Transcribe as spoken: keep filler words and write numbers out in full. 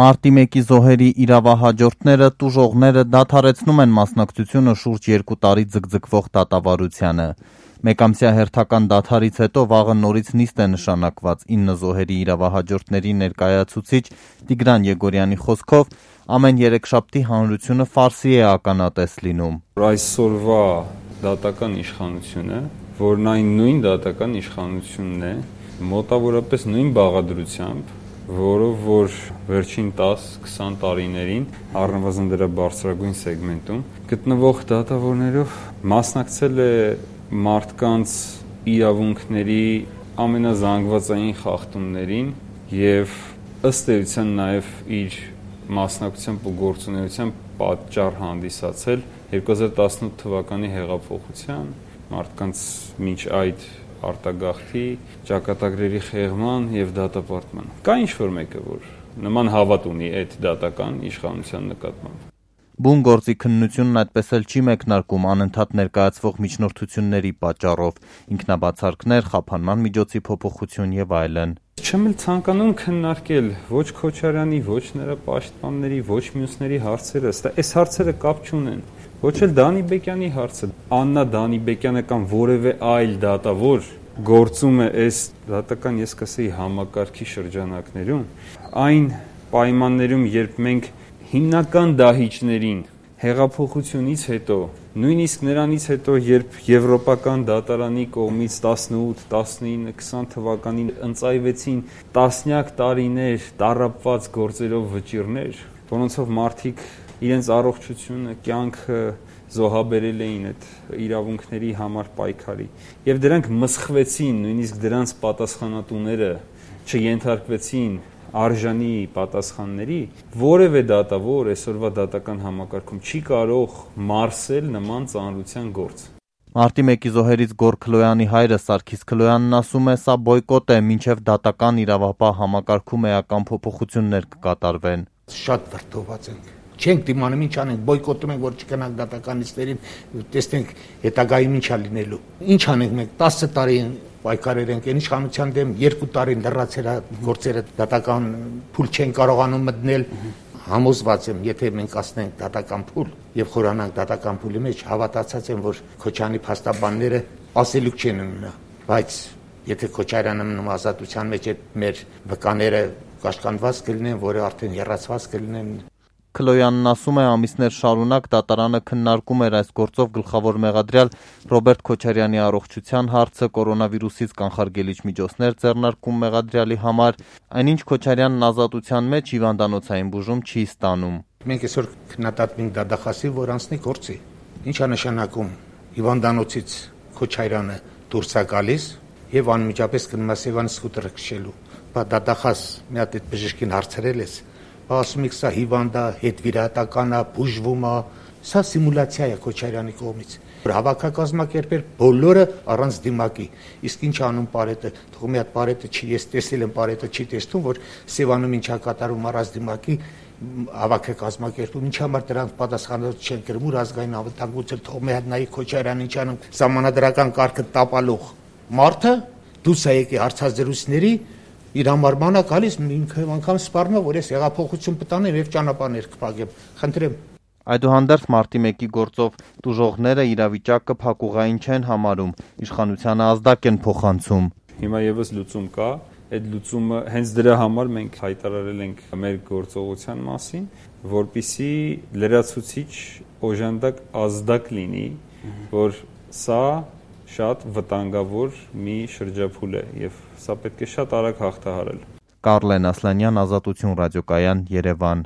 Մարտի մեկի զոհերի իրավահաջորդները, տուժողները դադարեցնում են մասնակցությունը շուրջ երկու տարի ձգձգվող դատավարությանը։ Մեկամսյա հերթական դադարից հետո վաղը նորից նիստ է նշանակված ինը զոհերի իրավահաջորդների ներկայացուցիչ Տիգրան Եգորյանի խոսքով ամեն երեքշաբթի հանրությունը ֆարսի է ականատես լինում։ Այսօրվա դատական իշխանությունը, որն այն նույն դատական իշխանությունն է, մոտավորապես նույն բաղադրությամբ, որով որ վերջին տաս-քսան տարիներին առնվազն դրա բարձրագույն սեգմենտում գտնվող դատավորներով մասնակցել է մարդկանց իրավունքների ամենազանգվածային խախտումներին եւ ըստ էության նաեւ իր մասնակցությամբ ու գործունեությամբ պատճառ հանդիսացել երկու հազար տասնութ թվականի հեղափոխության, մարդկանց մինչ այդ արտագաղթի, ճակատագրերի խեղման եւ դատապարտման։ Կա ինչ-որ մեկը, որ նման հավատ ունի այդ դատական իշխանության նկատմամբ։ Բուն գործի քննությունն այդպես էլ չի մեկնարկում անընդհատ ներկայացվող միջնորդությունների պատճառով, ինքնաբացարկներ, խափանման միջոցի փոփոխություն եւ այլն։ Չեմ էլ ցանկանում քննարկել ոչ Քոչարյանի, ոչ նրա պաշտպանների, ոչ մյուսների հարցերը, այս հարցերը կապ չունեն։ Ոչ էլ Դանիբեկյանի հարցը։ Աննա Դանիբեկյանը կամ որևէ այլ դատավոր գործում է այս դատական, ես կասեի, համակարգի շրջանակներում, այն պայմաններում, երբ մենք հիմնական դահիճներին հեղափոխությունից հետո, նույնիսկ նրանից հետո, երբ Եվրոպական դատարանի կողմից տասնութ, տասնինը, քսան թվականին ընծայվեցին տասնյակ տարիներ տառապված գործերով վճիռներ, որոնցով մարդիկ իրենց առողջությունը, կյանքը զոհաբերել էին այդ իրավունքների համար պայքարի եւ դրանք մսխվեցին, նույնիսկ դրանց պատասխանատուները չենթարկվեցին արժանի պատասխանների, որևէ դատավոր այսօրվա դատական համակարգում չի կարող մարսել նման ծանրության գործ։ Մարտի մեկի զոհերից Գոռ Քլոյանի հայրը Սարգիս Քլոյանն ասում է, սա բոյկոտ է, մինչև դատական իրավապահ համակարգում էական փոփոխություններ կկատարվեն։ Շատ վրդոված ենք։ Չենք դիմանում, ինչ անենք, բոյկոտում ենք, որ չգնանք դատականիստերին, տեսնենք հետագայում ինչա լինելու։ Ինչ անենք մենք տասը տարի պայքարել ենք, այն իշխանության դեմ երկու տարի լրացել գործերը, դատական փուլ չեն կարողանում մտնել։ Համոզված եմ, եթե մենք ասնենք դատական փուլ եւ խորանանք դատական փուլի մեջ, հավատացած եմ, որ Քոչարյանի փաստաբանները ասելուկ չեն ունենա, բայց եթե Քոչարյանը մնում ազատության մեջ այդ մեր վկաները կաշկանդված կլինեն, որը արդեն եռացված կլինեն։ Քլոյանն ասում է, ամիսներ շարունակ դատարանը քննարկում էր այս գործով գլխավոր մեղադրյալ Ռոբերտ Քոչարյանի առողջության հարցը, կորոնավիրուսից կանխարգելիչ միջոցներ ձեռնարկում մեղադրյալի համար, այնինչ Քոչարյանն ազատության մեջ հիվանդանոցային բուժում չի ստանում։ Մենք այսօր քննադատում ենք դատախազի, որ անցնի գործի։ Ինչ է նշանակում հիվանդանոցից Քոչարյանը դուրս է գալիս եւ անմիջապես գնում է Սևան սկուտերը քշելու։ Բա դատախազ մի հատ այդ բժշկին հարցրել ես, ասում եք սա հիվանդ է, հետվիրահատական է, բուժվում է, սա սիմուլյացիա է Քոչարյանի կողմից։ Հավաքակազմակերպել բոլորը առանց դիմակի։ Իսկ ինչ անում Պարետը, թող մի հատ Պարետը չի, ես տեսել եմ Պարետը չի տեսնում, որ Սևանում ինչա կատարում առանց դիմակի հավաքակազմակերպում, ինչ համար դրանց պատասխանատու չեն կրում, ուր ազգային անվտանգություն, թող մի հատ նայի Քոչարյանը ինչ անում, սահմանադրական կարգը տապալող մարդը դուրս է եկի հարցազրույցների իր համարմանը գալիս ինքը անգամ սպառնում է, որ ես հեղափոխություն պտանեմ եւ ճանապարհներ կփակեմ։ Խնդրեմ։ Այդուհանդերձ Մարտի մեկի գործով տուժողները իրավիճակը փակուղային չեն համարում, իշխանությանը ազդակ են փոխանցում։ Հիմա եւս լուծում կա, այդ լուծումը հենց դրա համար մենք հայտարարել ենք մեր գործողության մասին, որպիսի լրացուցիչ օժանդակ ազդակ լինի, որ սա շատ վտանգավոր մի շրջափուլ է եւ սա պետք է շատ արագ հաղթահարել։ Կարլեն Ասլանյան, Ազատություն ռադիոկայան, Երևան։